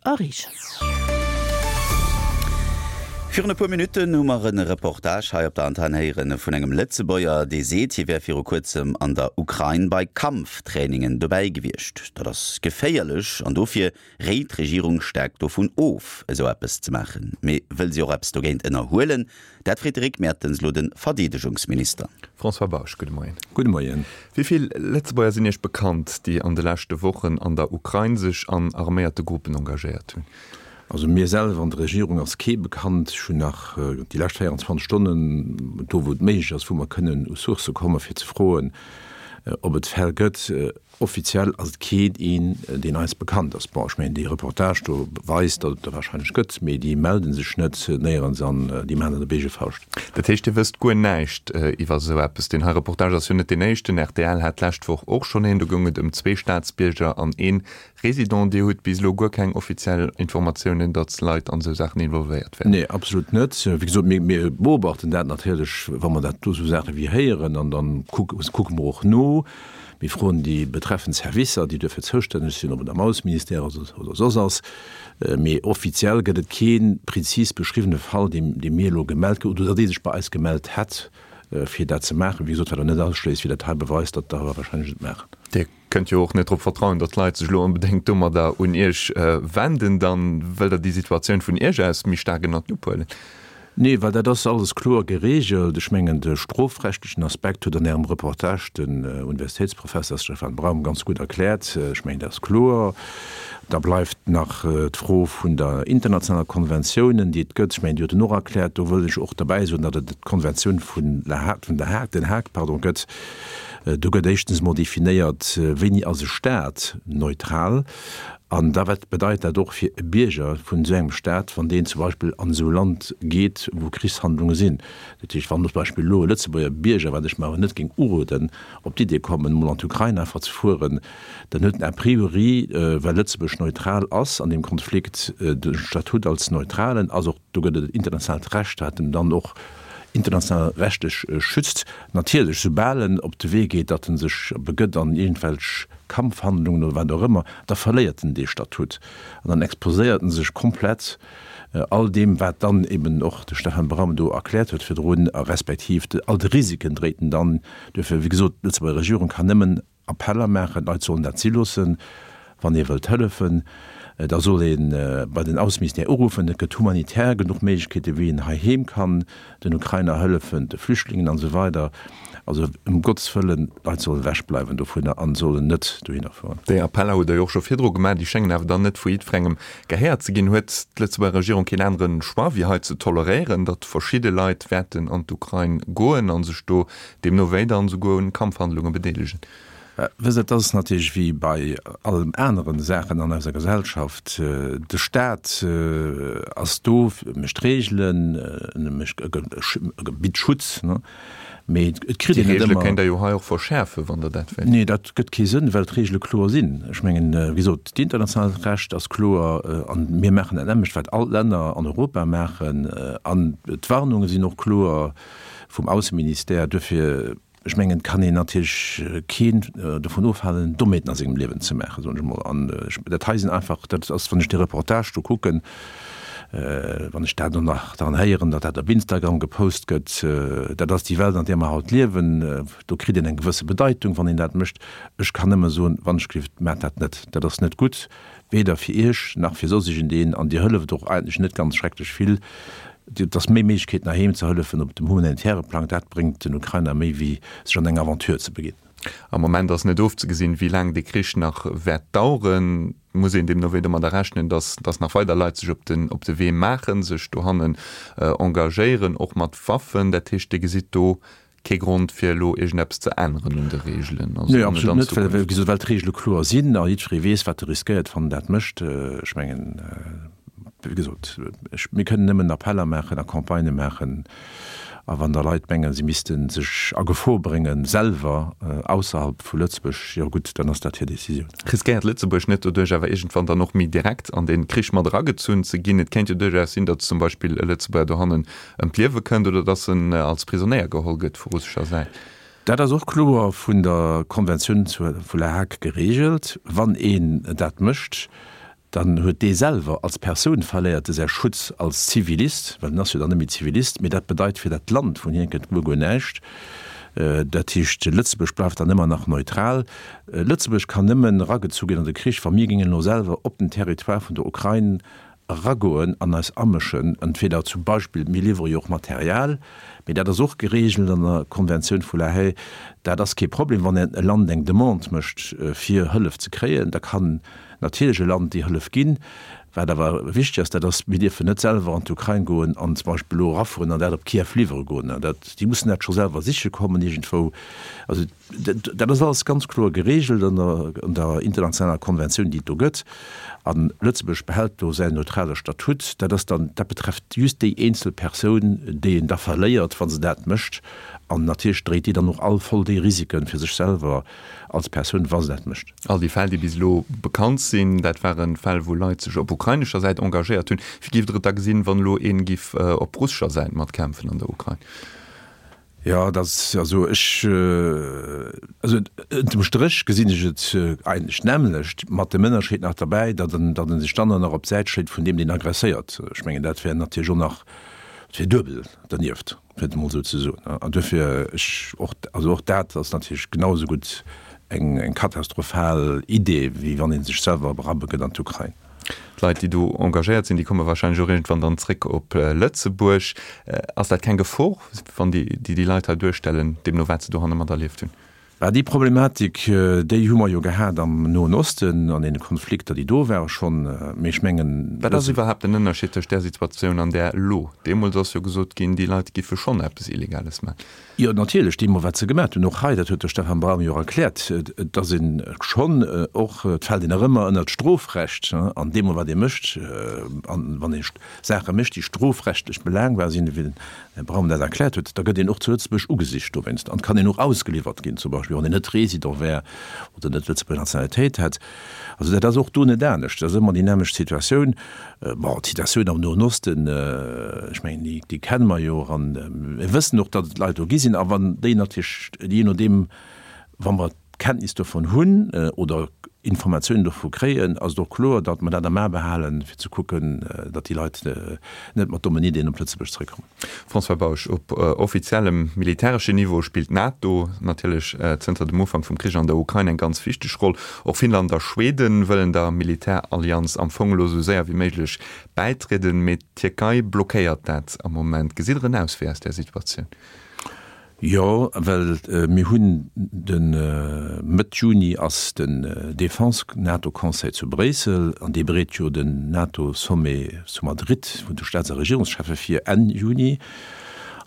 erreechen. Virun e puer Minutten hu mer e Reportage hei op der Antenn héieren vun engem Lëtzebuerger, dee seet, hie wär viru kuerzem an der Ukrain bei Kampftrainingen dobäi gewiescht. Dat ass geféierlech an dofir réit d'Regierung staark dovun of, esou eppes ze maachen. Mee wëll si och eppes dogéint ënnerhuelen? Dat freet de Rick Mertens elo de Verdeedegungsminister. François Bausch, gudde Moien. Gudde Moien. Wéi vill Lëtzebuerger sinn Iech bekannt, déi an de leschte Wochen an der Ukrain sech an arméierte Gruppen engagéiert hunn? Also mir selwer an der Regierung ass kee bekannt. Ech hunn nach déi lescht 24 Stonnen, do wou et méiglech ass, wou mer kënnen u Sourcë kommen, fir ze froen, ob et Fäll gëtt. Offiziell ass et keen een, deen eis bekannt ass. Bon, ech mengen, dee Reportage do weist, datt et der wahrscheinlech gëtt, mee déi melde sech net néierens an déi maachen dat op eege Fauscht. Dat heescht, Dir wësst guer näischt iwwer esou eppes? Deen hei Reportage ass jo net deen éischten. Rtl hat d'lescht Woch och schonn een. Do goung et ëm zwee Staatsbierger an een Résident, Dir hutt bis elo guer keng offiziell Informatiounen, datt Leit an esou Saachen involvéiert wären? Nee, absolut net. Wéi gesot, mir, mir beobachten dat natierlech, wa mer dat do esou Saache wéi héieren, an da kucke mer och no. Mir froen déi betreffend Servicer, déi duerfir zoustänneg sinn, ob et am Ausseministère ass oder soss ass. Mee offiziell gëtt et kee prezis beschriwwene Fall, dee, dee mir elo gemellt kruten oder dee sech bei eis gemellt hätt, fir dat ze maachen. Wéi gesot, wat awer net ausschléisst, wéi dat hei beweist, datt der warscheinlech et maachen. Dir Kënnt jo och net drop vertrauen, datt d'Leit sech elo onbedéngt domadder un Iech wenden. Dann wëllt Der déi Situatioun vun Iech aus méi staark ënnert d'Lupp huelen? Nee, well dat ass alles kloer geregelt. Ech mengen, de strofrechtlechen Aspekt huet an Ärem Reportage den Universitéitsprofesser Stefan Braum ganz gutt erkläert. Ech mengen, dat ass kloer. Da bleift nach d'Fro vun der internationaler Konventiounen, déi et gëtt. Ech mengen, déi huet en och erkläert. Do wëll ech och derbäi soen, datt et d'Konventioun vun La Hague, vun der Hague, Den Haag, pardon, gëtt. Do gëtt éischtens emol definéiert, wéini ass e Staat neutral an da wat bedeit dat och fir e Bierger vun esou engem Staat, wann deen zum Beispill an esou e Land geet, wou Krichshandlunge sinn. Dat heescht, wann zum Beispill elo e Lëtzebuerger Bierger, wat ech mer awer net géing uroden, op d'Idee kommen, emol an d'Ukrain einfach ze fueren, dann huet en a priori, well Lëtzebuerg neutral ass an deem Konflikt, de Statut als Neutralen, ass och Do gëtt et internationaalt Recht, wat en dann och international rechtlech schützt. Natierlech, soubal en op de Wee geet, datt en sech begëtt an iergendwelch Kampfhandlungen oder wat och ëmmer, da verléiert en dee Statut an dann exposéiert en sech komplett all deem, wat dann eben och de Stefan Braum do erkläert huet virdrun, a respektiv all de Risiken dréit en dann. Duerfir, wéi gesot, d'Lëtzebuerger Regierung kann nëmmen Appeller maachen, d'Leit sollen dat si loossen. Wann ee wëllt hëllefen, da soll ee bei den Ausseministère uruffen. Et gëtt humanitär genuch Méiglechkeeten, wéi een heiheem kann den Ukrainer hëllefen, de Flüchtlingen an esou weider. Also ëm Gottes Wëllen, d'Leit sollen ewech bleiwen dovunner an sollen net dohinner fueren. Déi Appeller hutt Der jo och scho virdru gemaach, déi schéngen awer dann net vu jiddwerengem gehéiert ze ginn. Huet d'Lëtzebuerger Regierung keen anere Choix, wéi hei ze toleréieren, datt verschidde Leit wäerten an d'Ukrain goen a sech do Deemno wéi dann esouguer un Kampfhandlunge bedeelegen. Wësst Der, et ass natierlech wéi bei allen aneren Saachen an eiser Gesellschaft, De Staat ass do, mécht Reegelen, mécht, bitt Schutz, mee et kritt een net Déi Reegele ëmmer. kéint Der jo hei och verschäerfen, wann Der dat wéilt. Nee, dat gëtt kee Sënn, well d'Reegele kloer sinn. Ech mengen, wéi gesot, d'internationaalt Recht ass kloer an mir maachen dat nämmlecht, wat all d'Länner an Europa maachen an d'Warnunge sinn och kloer. vum Ausseministère. Duerfir, ech mengen, kann een natierlech keen dovun ofhalen, Dommheeten a sengem Liewen ze maachen, soen ech emol. An dat hei sinn einfach, dat ass, wann ech dee Reportage do kucken, wann ech dat och nach dann héieren, datt dat op Instagram gepost gëtt, dat ass déi Welt, an där mer haut liewen. Do kritt een eng gewësse Bedeitung, wann een dat mécht. Ech kann nëmme soen, wann ech géif, maacht dat net. Dat ass net gutt, weder fir Iech nach fir soss iergendeen. An Dir hëlleft och eigentlech net ganz schrecklech vill. Et ass méi Méiglechkeeten heiheem ze hëllefen op dem humanitäre Plang. Dat bréngt den Ukrainer méi wéi sech an eng Aventure ze beginn. Am Moment ass net ofzegesinn, wéi laang dee Krich nach wäert daueren. Et muss een deemno wéi domadder rechnen, datt datt nach weider Leit sech op den op de Wee maachen, sech dohannen engagéieren, och mat Waffen. Dat heescht, Dir gesitt do Kee Grond fir elo iergendeppes ze änneren un de Reegelen? Also Nee, absolut net, well, wéi gesot, well d'Reegele kloer sinn a jiddweree weess, wat e riskéiert, wann en dat mécht. Ech mengen, wéi gesot, ech, mir kënnen nëmmen Appeller maachen a Campagnë maachen. A wann da Leit mengen, si misste sech a Gefor bréngen, selwer ausserhalb vu Lëtzebuerg, jo gutt, dann ass dat hir Decisioun. Riskéiert Lëtzebuerg net doduerch awer iergendwann dann och méi direkt an dee Krich mat eragezunn ze ginn? Et kéint jo duerchaus sinn, datt zum Beispill e Lëtzebuerger dohannen ëm d'Liewe kënnt oder datt en als Prisonéier geholl gëtt vu russescher Säit. Dat ass och kloer vun der Konventioun vu La Hague gereegelt. Wann een dat mécht, Dann huet dee selwer als Persoun verléiert e säi Schutz als Zivilist, well en ass jo dann net méi Zivilist, mee dat bedeit fir dat Land vun hien kënnt guer guer näischt. Dat heescht, Lëtzebuerg bleift dann ëmmer nach neutral. Lëtzebuerg kann nëmmen eragezu ginn an de Krich, wa mir géingen elo selwer op den Territoire vun der Ukrain eragoen an eis amëschen, entweder zum Beispill, mir liwwere jo och Material, mee dat ass och geregelt an der Konventioun vu La Haye, dat ass kee Problem, wann e Land eng Demande mécht fir Hëllef ze kréien, da kann natierlech e Land déi Hëllef ginn. Wat awer wichteg ass, dat ass, mir dierfen net selwer an d'Ukrain goen an zum Beispill elo erafueren an dat op Kiew liwwere goen. Dat, déi mussen dat scho selwer siche kommen iergendwou. Also dat ass alles ganz kloer geregelt an der, an der internationaler Konventioun, déi et do gëtt. A Lëtzebuerg behält do säin neutrale Statut. Dat ass dann, dat betrefft just déi eenzel Persoun, déi een da verléiert, wa se dat mécht. An natierlech dréit déi dann och all voll déi Risiken fir sech selwer als Persoun, wa se dat mécht. All déi Fäll, déi bis elo bekannt sinn, dat ware Fäll, wou Leit sech op ukrainescher Säit engagéiert hunn. Wéi géift Der et da gesinn, wann elo ee giff op russescher Säit matkämpfen an der Ukrain? Jo, dat ass, also ech, also ënnerm Stréch gesinn ech et eigentlech d'nämmlecht, mat dem Ënnerscheed nach derbäi, datt en, datt en sech dann och nach op d'Säit schléit vun deem, deen aggresséiert. Ech mengen, dat wär natierlech och nach, dat wär duebel dernieft. fir et emol esou ze soen. An duerfir, ech och, also och dat ass natierlech genau esou gutt eng, eng katastrophal Idee, wéi wann ee sech selwer erabbe gëtt an d'Ukrain. D'Leit, déi do engagéiert sinn, déi komme wahrscheinlech och iergendwann dann zréck op Lëtzebuerg. Ass dat keng Gefor, wann déi déi Leit hei duerstellen, deemno wat se dohanne materlieft hunn? Bah, déi Problematik, déi hu mer jo gehat am Noen Osten, an deene Konflikter, déi do ware schonn. Mee ech mengen. Wat ass iwwerhaapt den Ënnerscheed tëscht där Situatioun an där elo? Deemools ass jo gesot ginn, déi Leit giffe schonn eppes Illegales maachen. Jo, natierlech, deemol wat se gemaat hunn. Och hei, dat huet de Stefan Braum jo och erkläert, et ass ee schonn och, et fält een nach ëmmer ënnert d'Strofrecht, an deemol wat ee mécht, an wann ee Saache mécht, déi strofrechtlech belaangbar sinn, wéi den Här Braun dat erkläert huet, da gëtt een och zu Lëtzebuerg ugesicht dowéinst an kann een och ausgeliwwert ginn, zum Beispill wann een net Résident wär oder net Lëtzebuerger Nationalitéit hätt. Also dat ass och do net anescht, dat ass ëmmer déi nämmlecht Situatioun. Bon, d'Situatioun am Noen Osten, ech mengen, déi, déi kenne mer jo och an mir wëssen och, datt et Leit do gi sinn. A wann déi natierlech, jee nodeem, wa mer Kenntnis dovun hunn oder Informatiounen dovu kréien, ass et och kloer, datt mer dat am A behalen, fir ze kucken, datt déi Leit net mat dommen Ideeën op Lëtzebuerg zeréckkommen. François Bausch, Op offiziellem militäreschen Niveau spillt d'NATO natierlech zënter dem Ufank vum Krich an der Ukrain eng ganz wichteg Roll. Och Finnland a Schweden wëllen der Militärallianz am Fong elo esou séier wéi méiglech bäitrieden, mee d'Tierkei blockéiert dat am Moment. Gesitt Der en Auswee aus där Situatioun? Jo, well mir hunn de Mëtt Juni ass den Defense-NATO-Conseil zu Bréissel an dee bereet jo den NATO-Sommet zu Madrid vun de Staats a Regierungscheffe vir Enn Juni.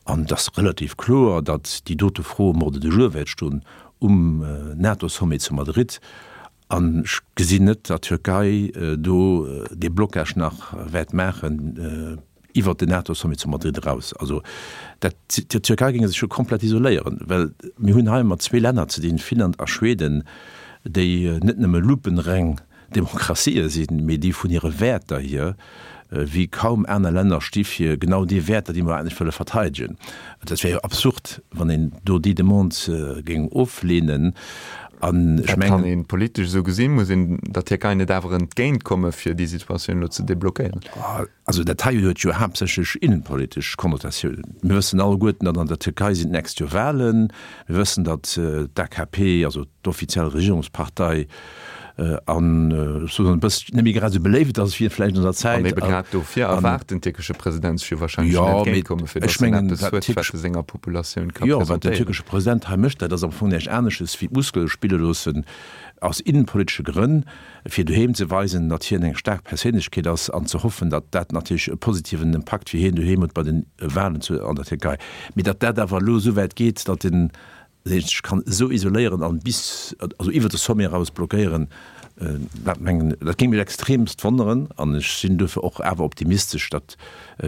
An et ass relativ kloer, datt déi dote Fro um Ordre du jour wäert stoen um NATO-Sommet zu Madrid. An ech gesinn net, datt d'Türkei do dee Blocage nach wäert maachen iwwert den NATO-Sommet zu Madrid eraus. Also dat, d'Türkei géing sech jo komplett isoléieren, well mir hunn hei mat zwee Länner ze dinn, Finnland a Schweden, déi net nëmme lupenreng Demokratië sinn, mee déi vun hire Wäerter hier wéi kaum aner Länner sti fir genau déi Wäerter, déi mer eigentlech wëlle verteidegen. Dat wär jo absurd, wann een do déi Demande géing ofleenen. An ech mengen. Dat kann ee politesch esou gesinn. Muss een der Tierkei net awer entgéintkomme fir déi Situatioun elo ze deblockéieren? Also dat hei huet jo haaptsächlech innenpolitesch Konnotatiounen. Mir wëssen alleguerten, datt an der Tierkei sinn d'nächst Joer Wahlen. Mir wëssen, datt d'AKP, also d'offiziell Regierungspartei, an ech soen e bësschen net méi grad esou beléift ass wéi vläicht an der Zäit. An ebe grad dofir erwaart den tierkesche President sech jo wahrscheinlech en Entgéintkomme fir datt en eppes huet, wat e senger Populatioun ka presentéieren. Jo, wat den tierkesche President hei mécht, dat ass am Fong näischt anesches wéi d'Muskele spille loossen aus innenpolitesche Grënn, fir doheem ze weisen, datt hien eng staark Perséinlechkeet ass an ze hoffen, datt dat natierlech e positiven Impakt fir hien doheem huet bei de Wahlen zu an der Tierkei. Mee datt dat awer elo esou wäit geet, datt en sech kann esou isoléieren an bis, also iwwer de Sommet eraus blockéieren, dat mengen, dat géing mech extremst wonneren an ech sinn duerfir och awer optimistesch, datt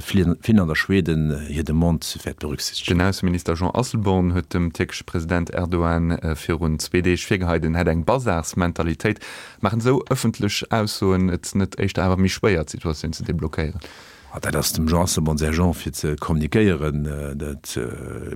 Finnland a Schweden hir Demande wäert berücksichtegen. Den Ausseminister Jean Asselborn huet dem tierkesche President Erdogan virun zwee Deeg virgeheit, en hätt eng Bazarsmentalitéit. Maachen esou ëffentlech Aussoen et net éischter awer méi schwéier, d'Situatioun ze deblockéieren? Dat ass dem Jean Asselborn säi Genre fir ze kommunikéieren. Dat,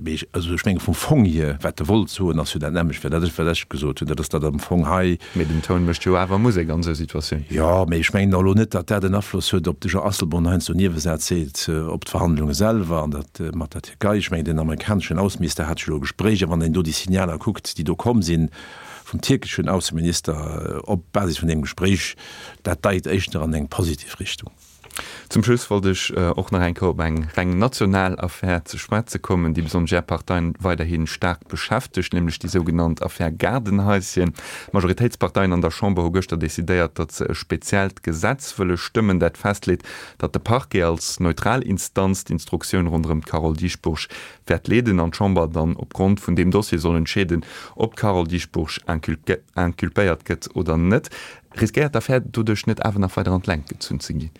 mee ech, also ech menge vum Fong hier, wat e wollt soen, ass jo dat nämmlecht, wat ech, wat ech gesot hunn, dat ass, datt am Fong hei. Mee den Toun mécht jo awer Musek an esou Situatiounen. Jo, mee ech mengen och elo net, datt dat en Afloss huet, ob de Jean Asselborn heiansdo Niewesätz seet op d'Verhandlunge selwer an dat mat der Tierkei. Ech mengen, den amerikaneschen Ausseminister hat jo elo e Gespréich, a wann een do déi Signaler kuckt, déi do komm sinn vum tierkeschen Ausseminister op Basis vun deem Gespréich, dat deit éischter an eng positiv Richtung. Zum Schluss wollt ech och nach eng Kéier op eng reng national Affär ze schwätze kommen, déi besonnesch Är Parteien weiderhi staark beschäftegt, nämlech déi sougenannt Affär Gaardenhaischen. D'Majoritéitsparteien an der Chamber hu gëschter decidéiert, datt se e speziellt Gesetz wëlle stëmmen, dat festleet, datt de Parquet als neutral Instanz d'Instruktioun ronderëm d'Carole Dieschbourg wäert leeden an d'Chamber dann opgrond vun deem Dossier soll entscheeden, ob d'Carole Dieschbourg inculpéiert gëtt oder net. Riskéiert d'Affär doduerch net awer nach weider an d'Längt gezunn ze ginn?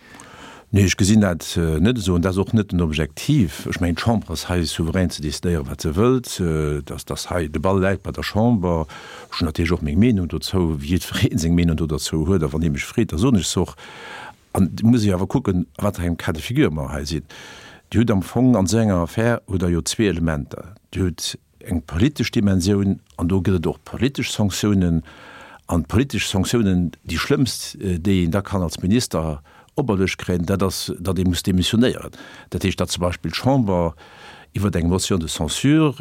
Nee, ech gesinn dat net esou an dat ass och net den Objektiv. Ech mengen, d'Chamber ass hei souverän ze decidéieren, wat se wëllt. Dass, dass hei de Ball läit bei der Chamber. Ech hunn natierlech och meng Meenung dozou, wéi jiddweree seng Meenung do derzou huet. A wann ee mech freet, da soen ech se och. An et muss ee awer kucken, a wat fir engem Cas de figure mer hei sinn. Dir hutt am Fong an esou enger Affär hutt Der jo zwee Elementer. Dir hutt eng politesch Dimensioun, an do gëtt et och politesch Sanktiounen, an d'politesch Sanktiounen, déi schlëmmst, déi een da kann als Minister operluecht kréien, dat ass, datt ee muss demissionéieren. Dat heescht, datt zum Beispill d'Chamber iwwer eng Motion de censure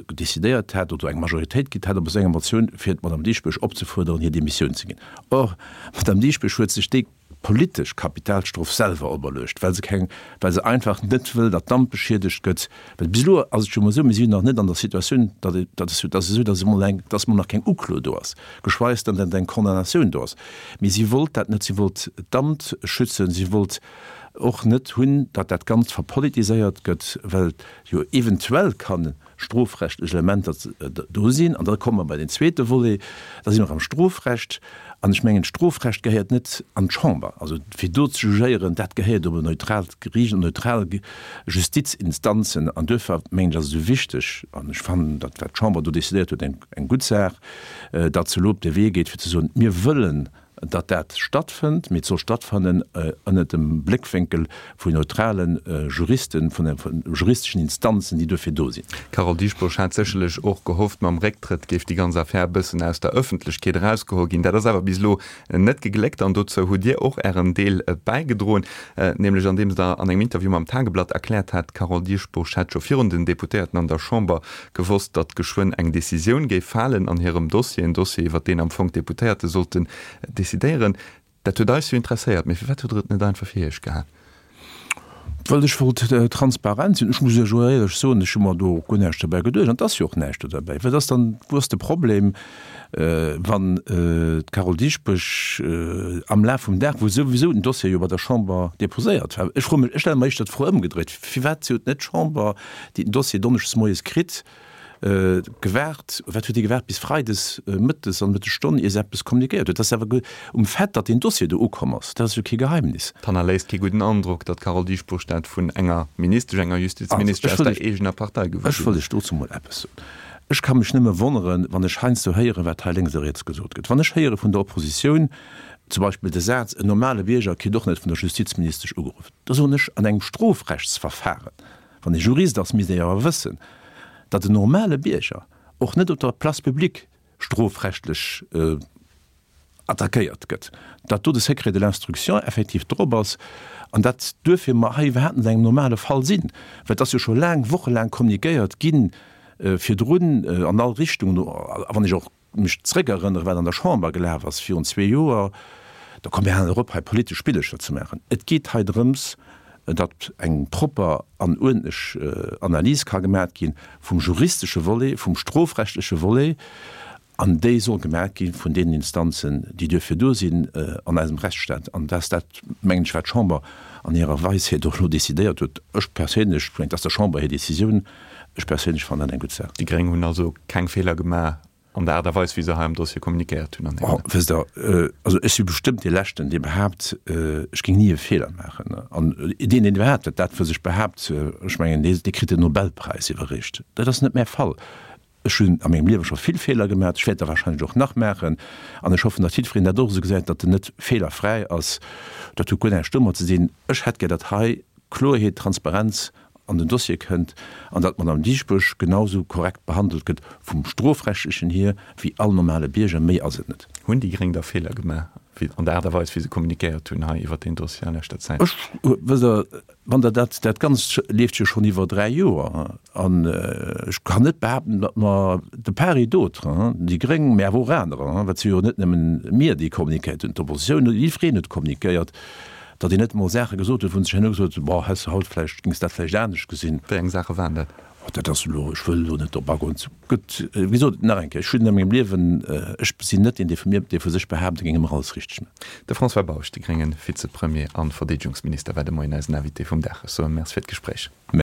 decidéiert hätt oder eng Majoritéit gitt hätt op esou enger Motioun, fir d'Madame Dieschbourg opzefuerderen, hir Demissioun ze ginn. Or, d'Madame Dieschbourg huet sech déi politesch Kapitalstrof selwer operluecht, well se keng, well se einfach net wëll, datt d'Amt beschiedegt gëtt. Well bis elo ass et jo emol esou, mir si jo nach net an der Situatioun, datt et, datt et, datt esou, datt emol eng, datt emol nach keng Uklo do ass, geschweis dann, datt eng Condamnatioun do ass. Mee si wollt dat net, si wollt d'Amt schützen, si wollt och net hunn, datt dat Ganzt verpolitiséiert gëtt, well jo eventuell kann strofrechtlech Elementer do sinn. An da komme mer bei den zweete Volet, da si mer am Strofrecht. An ech mengen, d'Strofrecht gehéiert net an d'Chamber. Also fir do ze jugéieren, dat gehéiert op en neutraalt Geriicht, op neutral Justizinstanzen. An duerfir mengen ech, ass et esou wichteg, an ech fannen dat, wat d'Chamber do decidéiert huet, eng gutt Saach, datt se elo op de Wee geet fir ze soen, mir wëllen datt dat stattfënnt, mee et soll stattfannen ënnert dem Bléckwénkel vun neutrale Juristen, vun juristeschen Instanzen, déi duerfir do sinn. D'Carole Dieschbourg hat sécherlech och gehofft, mam Récktrëtt géif déi ganz Affär e bëssen aus der Ëffentlechkeet erausgeholl ginn. Dat ass awer bis elo net gegléckt an dozou hutt Dir och Ären Deel bäigedroen, nämlech andeems Der an engem Interview mam Tageblatt erkläert hat, d'Carole Dieschbourg hätt scho virun den Deputéierten an der Chamber gewosst, datt geschwënn eng Decisioun géif falen an hirem Dossier, en Dossier, iwwer deen am Fong d'Deputéierte sollten decidéieren. Dat huet eis jo interesséiert, mee firwat hutt Der et net einfach fir Iech gehal? Well ech wollt transparent sinn. Ech muss Iech och éierlech soen, ech hu mer do och guer näischt dobäi geduecht. An et ass jo och näischt do derbäi. Wat ass dann, wou ass de Problem, wann d'Carole Dieschbourg am Laf vum Dag, wou souwisou den Dossier jo bei der Chamber deposéiert war, ech froe mech, ech stelle mer éischter d'Fro ëmgedréit, firwat huet net d'Chamber, déi den Dossier donneschdes moies kritt, gewaart, wat huet déi gewaart bis freides mëttes an Mëttesstonn, ier se eppes kommunikéiert huet? Dat ass awer um Fait, datt deen Dossier do ukomm ass, dat ass jo kee Geheimnis. Et hannerléisst kee gudden Androck, datt d'Carole Dieschbourg dat vun enger Ministesch, enger Justizministesch aus der eegener Partei gewuer ginn ass. Ech wëll lech dozou mol eppes soen. Ech ka mech nëmme wonneren, wann ech heiansdo héieren, wat hei lénks a riets gesot gëtt. Wann ech héiere vun der Oppositioun zum Beispill de Saz, en normale Bierger kritt och net vun der Justizministesch ugeruff, da soen ech, an engem Strofrechtsverfahren, Wann ee Jurist ass, misst ee awer wëssen, datt en normale Bierger och net op der Place publique strofrechtlech attackéiert gëtt, datt do de Secret de l'instruction effektiv drop ass an datt duerfir mer hei iwwerhaapt net an engem normale Fall sinn. Well et ass jo scho laang, wochelaang kommunikéiert gi virdrun an all Richtungen, a wann ech och mech zréckerënnere wat an der Chamber gelaf ass virun zwee Joer, da komme mir halen erop hei politesch Spillecher ze maachen. Et geet hei drëms, datt eng propper an uerdentlech Analys ka gemaat gi vum juristesche Volet, vum strofrechtleche Volet, an déi soll gemaat gi vun deenen Instanzen, déi duerfir do sinn an eisem Rechtsstaat. An dat ass dat, mengen ech, wat d'Chamber an hirer Weisheet och elo decidéiert huet. Ech perséinlech, ech mengen, et ass der Chamber hir Décisioun, Ech perséinlech fannen dat eng gutt Saach. Déi Gréng hunn also keng Feeler gemaach an der Aart a Weis, wéi se hei am Dossier kommunikéiert hunn an hiren. Wësst Der, also ech si bestëmmt dee Leschten, dee behaapt, ech géing ni e Feeler maachen. An deen, deen iwwerhaapt dat dat vu sech behaapt, ech mengen, dee dee kritt den Nobelpräis iwwerreecht. Dat ass net mäi Fall. Ech hunn a mengem Liewe scho vill Feeler gemaach, ech wäert der wahrscheinlech och nach maachen. An ech hoffen, datt jiddwereen dat och esou gesäit, datt en net feelerfräi ass. Dat huet guer näischt domat ze dinn. Ech hätt gär, datt hei. Kloerheet, Transparenz an den Dossier kënnt an datt d'Madame Dieschbourg genau sou korrekt behandelt gëtt vum Strofrechtlechen hier wéi all normale Bierger. Méi ass et net. Hunn déi Gréng da Feeler gemaach an der Aart a Weis wéi se kommunikéiert hunn hei iwwert deen Dossier a leschter Zäit? Ech, wësst Der, wann Der dat, dat Ganzt leeft jo schonn iwwer 3 Joer an ech kann net behaapten, datt mer de part et d'autre, déi Gréng, mä awer och anerer, well et si jo net nëmmen mir, déi kommunikéiert hunn, d'Oppositioun huet, jiddwereen huet kommunikéiert, datt een net emol Saache gesot huet, wou en sech herno gesot huet, Boah, häss de haut vläicht, géings dat vläicht anescht gesinn. Wéi eng Saache waren dat? Oh, dat ass elo, ech wëll elo net drop agoen. Et gëtt, wéi gesot, nach eng Kéier, ech hunn a mengem Liewen, ech sinn net deen, dee vu mir, dee vu sech behaapt, e géing ëmmer alles richteg maachen. De François Bausch, de grénge Vizepremier a Verdeedegungsminister, war de Moien eisen Invité vum Dag. Ech soe Merci fir d'Gespréich.